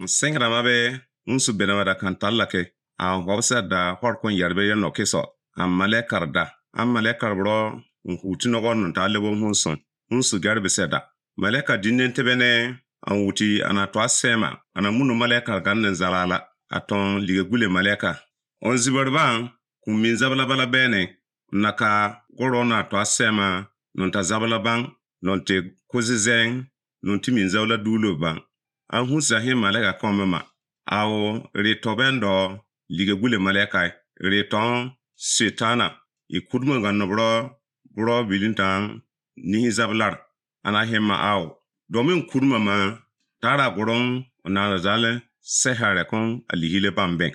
Sengra mabe unsu benama da kan tallake a hobsa da horkon yarbe no keso am malekar da am malekar bro huti no gon ta lebo hunsu garbe seda maleka dinnen tebene an wuti ana to asema ana munu malekar gannen zalala aton ligegule maleka on zibarban kum min zabala bala bene naka gorona to asema non ta zabala ban non te kozizen non ti min zawla dulo ban an hunsa he maleka komema aw ritobendo ligegule maleka riton setana ikudmo ganno bro bilintan ni zablar ana hema aw domin kudma ma tara goron na zale sehare kon aligile bambe